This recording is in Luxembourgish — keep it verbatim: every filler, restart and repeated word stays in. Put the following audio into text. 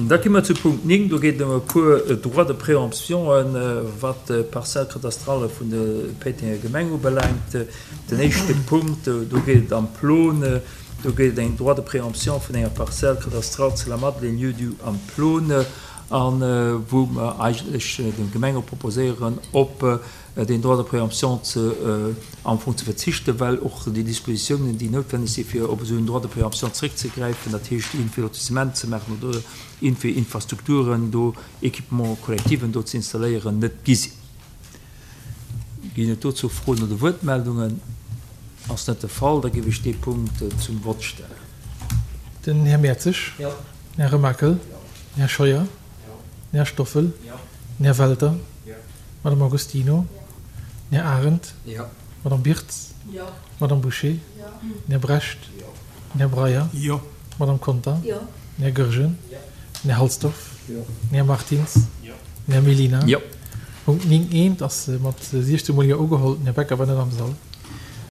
Da gi mer zu Punkt néng. Do geet et ëm e puer Droits de préemptionen, wat d'Parcelle cadastrale vun der Péitenger Gemeng ubelaangt. Den éischte Punkt, do geet et am Plon. Do geet et eng Droit de préemption vun enger Parcelle cadastrale zu La Madeleine, lieu-dit am Plon, a wou mer eigentlech dem Gemengerot proposéieren, op deen Droit de préemption ze am Fong ze verzichten, well och déi Dispositiounen, déi noutwenneg si fir op esou en Droit de préemption zréckzegräifen, dat heescht iergendwéi Lotissement ze maachen oder iergendwéi Infrastrukturen do, Équipements collectiven do ze installéieren, net gi sinn. Ginn et dozou Froen oder Wuertmeldungen? Ass net de Fall, da géif ech dee Punkt zum Vott stellen. Den Här Mertzig. Jo. Den Här Remakel. Jo. Den Här Scheuer. Jo. Den Här Stoffel. Jo. Den Här Welter. Jo. Madame Agostino. Jo. Den Här Arendt. Jo. Madame Birtz. Jo. Madame Bouché. Jo. Den Här Brecht. Jo. Den Här Breyer. Jo. Madame Conter. Jo. Den Här Goergen. Jo. Den Här Halsdorf. Jo. Den Här Martins. Jo. Den Här Mellina. Jo. Punkt néng eent ass mat siechzehn Mol Jo ugeholl. Den Här Becker war net am Sall.